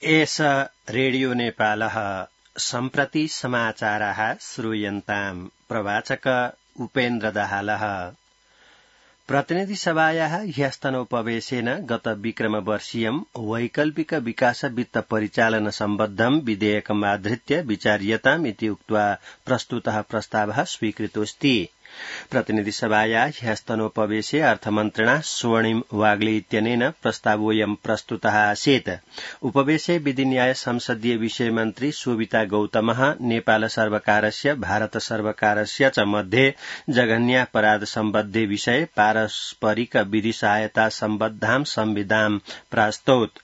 एष रेडियो नेपालः सम्प्रति समाचाराः श्रूयन्ताम्। प्रवाचक उपेन्द्र दाहालः। प्रतिनिधिसभायाः ह्यस्तनोपवेशेन गत विक्रमवर्षीयं वैकल्पिक विकास वित्त परिचालन सम्बद्धं विधेयकमाधृत्य विचार्यताम् इति उक्त्वा प्रस्तुतः प्रस्तावः स्वीकृतोऽस्ति। प्रतिनिधिसभाया ह्यस्तनोपवेशे अर्थमन्त्रिणा स्वर्णिम वाग्ले इत्यनेन प्रस्तावोऽयं प्रस्तुतः आसीत्। उपवेशे विधिन्याय संसदीय विषय मन्त्री शोभिता गौतमः नेपाल सर्वकारस्य भारत सर्वकारस्य च मध्ये जघन्यापराध सम्बद्धे विषये पारस्परिक विधि सहायता सम्बद्धां संविधां प्रास्तौत्।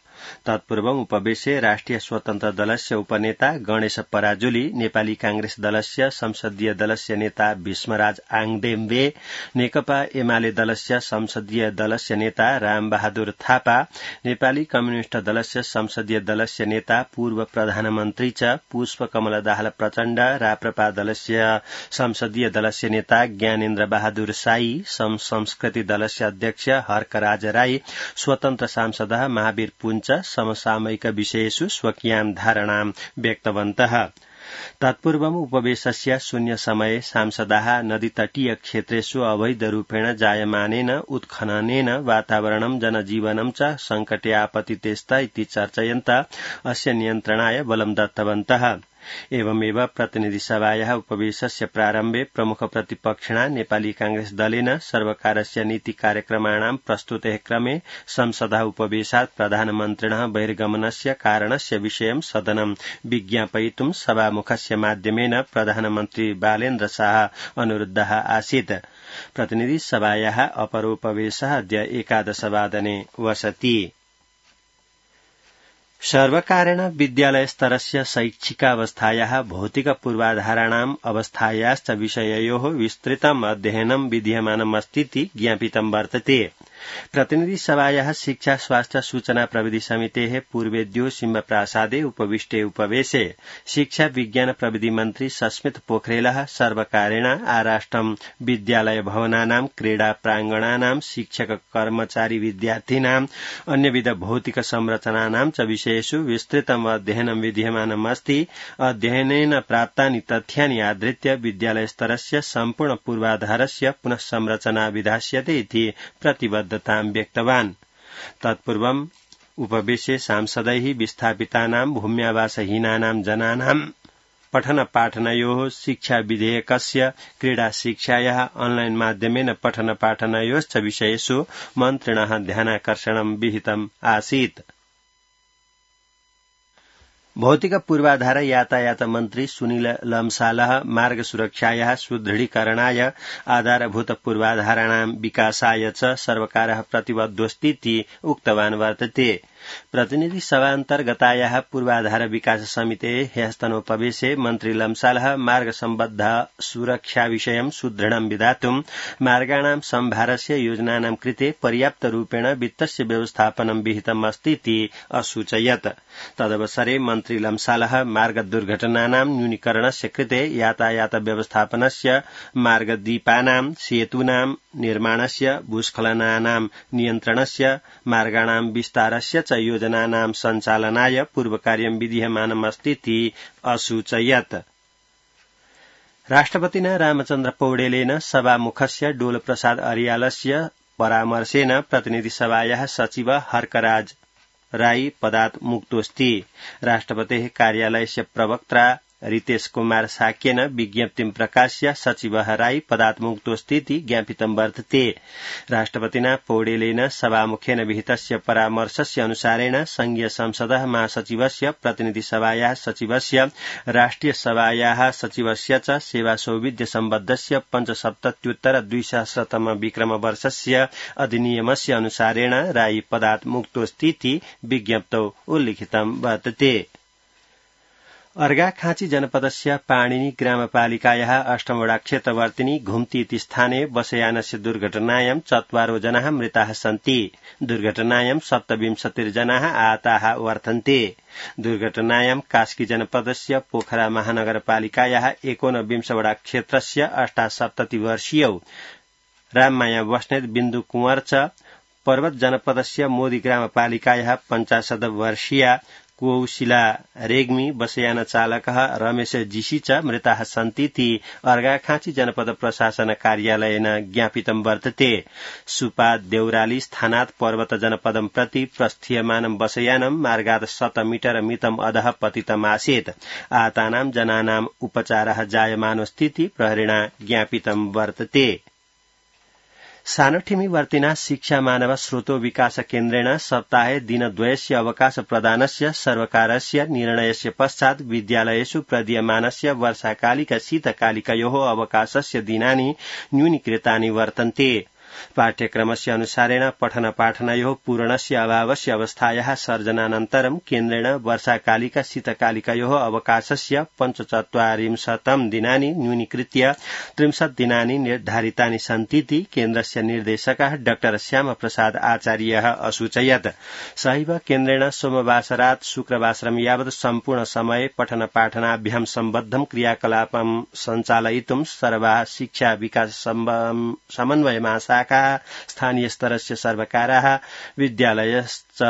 तत्पूर्वम् उपवेशे राष्ट्रिय स्वतन्त्र दलस्य उपनेता गणेश पराजुली, नेपाली कांग्रेस दलस्य संसदीय दलस्य नेता भीष्मराज आङदेम्बे, नेकपा एमाले दलस्य संसदीय दलस्य नेता रामबहादुर थापा, नेपाली कम्युनिष्ट दलस्य संसदीय दलस्य नेता पूर्व प्रधानमन्त्री च पुष्पकमल दाहाल प्रचण्ड, राप्रपा दलस्य संसदीय दलस्य नेता ज्ञानेन्द्र बहादुर साई, संस्कृति दलस्य अध्यक्ष हर्कराज राई, स्वतन्त्र सांसदः महावीर पुञ्च समसामयिक विषयेषु स्वकीयां धारणां व्यक्तवन्तः। तत्पूर्वम् उपवेशस्य शून्य समये सांसदाः नदीतटीय क्षेत्रेषु अवैधरूपेण जायमानेन उत्खननेन वातावरणं जनजीवनं च संकटे आपतितेस्त इति चर्चयन्तः अस्य नियन्त्रणाय बलं दत्तवन्तः। एवमेव प्रतिनिधिसभायाः उपवेशस्य प्रारम्भे प्रमुख प्रतिपक्षिणा नेपाली कांग्रेस दलेन सर्वकारस्य नीति कार्यक्रमाणां प्रस्तुतेः क्रमे संसदः उपवेशात् प्रधानमन्त्रिणः बहिर्गमनस्य कारणस्य विषयं सदनं विज्ञापयितुं सभामुखस्य माध्यमेन प्रधानमन्त्री बालेन्द्र शाह अनुरुद्धः आसीत्। प्रतिनिधिसभायाः अपरोपवेशः अद्य 11 वादने वसति। सर्वकारेण विद्यालयस्तरस्य शैक्षिकावस्थायाः भौतिक पूर्वाधाराणाम् अवस्थायाश्च विषययोः विस्तृतम् अध्ययनं विधीयमानमस्तीति ज्ञापितं वर्तते। प्रतिनिधिसभायाः शिक्षा स्वास्थ्य सूचना प्रविधि समितेः पूर्वेद्यो सिंहप्रासादे उपविष्टे उपवेशे शिक्षा विज्ञान प्रविधि मन्त्री सस्मित पोखरेलः सर्वकारेण आराष्ट्रं विद्यालय भवनानां क्रीडा प्रांगणानां शिक्षक कर्मचारी विद्यार्थिनां अन्यविध भौतिक संरचनानां च विषयेषु विस्तृतम् अध्ययनं विधीयमानमस्ति। अध्ययनेन प्राप्तानि तथ्यानि आधृत्य विद्यालयस्तरस्य सम्पूर्ण पूर्वाधारस्य पुनः संरचना विधास्यते इति प्रतिबद्धतां व्यक्तवान्। तत्पूर्वम् उपवेशे सांसदैः विस्थापितानां भूम्यावासहीनानां जनानां पठन पाठनयोः शिक्षा विधेयकस्य क्रीडा शिक्षायाः ऑनलाइन माध्यमेन पठन पाठनयोश्च विषयेषु मन्त्रिणः ध्यानाकर्षणं विहितम् आसीत्। भौतिक पूर्वाधार यातायात मन्त्री सुनील लम्सालः मार्ग सुरक्षायाः सुदृढीकरणाय आधारभूत पूर्वाधाराणां विकासाय च सर्वकारः प्रतिबद्धोऽस्तीति उक्तवान् वर्तते। प्रतिनिधि सभान्तर्गतायाः पूर्वाधार विकास समितेः ह्यस्तनोपवेशे मन्त्री लम्सालः मार्ग सम्बद्ध सुरक्षा विषयं सुदृढं विधातुं मार्गाणां सम्भारस्य योजनानां कृते पर्याप्त रूपेण वित्तस्य व्यवस्थापनं विहितम् अस्तीति असूचयत्। तदवसरे मन्त्री लम्सालः मार्ग दुर्घटनानां न्यूनीकरणस्य कृते यातायात व्यवस्थापनस्य मार्गदीपानां सेतूनां निर्माणस्य भूस्खलनानां नियन्त्रणस्य मार्गाणां विस्तारस्य च योजनानां सञ्चालनाय पूर्वकार्यं विधीयमानमस्तीति असूचयत्। राष्ट्रपतिना रामचन्द्र पौडेलेन सभामुखस्य डोलप्रसाद अर्यालस्य परामर्शेन प्रतिनिधिसभायाः सचिव हर्कराज राई पदात् मुक्तोऽस्ति। राष्ट्रपतेः कार्यालयस्य प्रवक्ता रितेश कुमार साक्येन विज्ञप्तिं प्रकाश्य सचिवः राई पदात् मुक्तोऽस्तीति ज्ञापितं वर्तते। राष्ट्रपतिना पौडेलेन सभामुखेन विहितस्य परामर्शस्य अनुसारेण संघीय संसदः महासचिवस्य प्रतिनिधिसभायाः सचिवस्य राष्ट्रिय सभायाः सचिवस्य च सेवा सौविध्य सम्बद्धस्य 75-200 विक्रमवर्षस्य अधिनियमस्य अनुसारेण राई पदात् मुक्तोऽस्तीति विज्ञप्तौ उल्लिखितं वर्तते। अर्घाखाँची जनपदस्य पाणिनी ग्रामपालिकायाः 8 वडा क्षेत्रवर्तिनी घुम्ती इति स्थाने बसयानस्य दुर्घटनायां 4 जनाः मृताः सन्ति। दुर्घटनायां 27 जनाः आहताः वर्तन्ते। दुर्घटनायां कास्की जनपदस्य पोखरा महानगरपालिकायाः 29 वडा क्षेत्रस्य 78 वर्षीयौ राममाया बस्नेत बिन्दु कुंवर च पर्वत जनपदस्य मोदी ग्रामपालिकायाः 50 वर्षीया कौशिला रेग्मी बसयान चालकः रमेश जीसी च मृताः सन्तीति अर्घाखाँची जनपद प्रशासन कार्यालयेन ज्ञापितं वर्तते सुपा देउराली स्थानात् पर्वत जनपदं प्रति प्रस्थीयमानं बसयानं मार्गात् 100 मीटर मितम् अधः पतितमासीत् आहतानां जनानाम् उपचारः जायमानोऽस्तीति प्रहरिणा ज्ञापितं वर्तते सानठिमी वर्तिना शिक्षा मानव स्रोतो विकास केन्द्रेण सप्ताहे दिनद्वयस्य अवकाश प्रदानस्य सर्वकारस्य निर्णयस्य पश्चात् विद्यालयेषु प्रदीयमानस्य वर्षाकालिक शीतकालिकयोः अवकाशस्य दिनानि न्यूनीकृतानि वर्तन्ते पाठ्यक्रमस्य अनुसारेण पठन पाठनयोः पूरणस्य अभावस्य अवस्थायाः सर्जनानन्तरं केन्द्रेण वर्षाकालिक शीतकालिकयोः अवकाशस्य 45 दिनानि न्यूनीकृत्य 30 दिनानि निर्धारितानि सन्तीति केन्द्रस्य निर्देशकः डाक्टर श्यामप्रसाद आचार्यः असूचयत् सहैव केन्द्रेण सोमवासरात् शुक्रवासरं यावत् सम्पूर्ण समय पठन पाठनाभ्यां सम्बद्धं क्रियाकलापं सञ्चालयितुं सर्वाः शिक्षा विकास समन्वय महाशाखा स्थानीय स्तरस्य सर्वकाराः विद्यालयश्च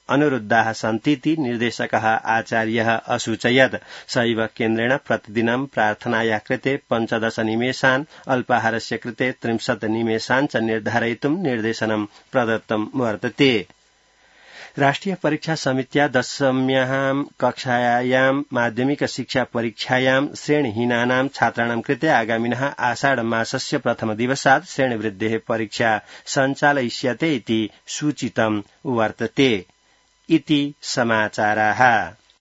अनुरुद्धाः सन्तीति निर्देशकः आचार्यः असूचयत् सहैव केन्द्रेण प्रतिदिनं प्रार्थनाया कृते 15 निमेषान् अल्पाहारस्य कृते 30 निमेषान् च निर्धारयितुं निर्देशनं प्रदत्तं वर्तते राष्ट्रिय परीक्षा समित्या 10म्यां कक्षायां माध्यमिक शिक्षा परीक्षायां श्रेणीहीनानां छात्राणां कृते आगामिनः आषाढ मासस्य प्रथम दिवसात् श्रेणीवृद्धेः परीक्षा सञ्चालयिष्यते इति सूचितं वर्तते इति समाचाराः।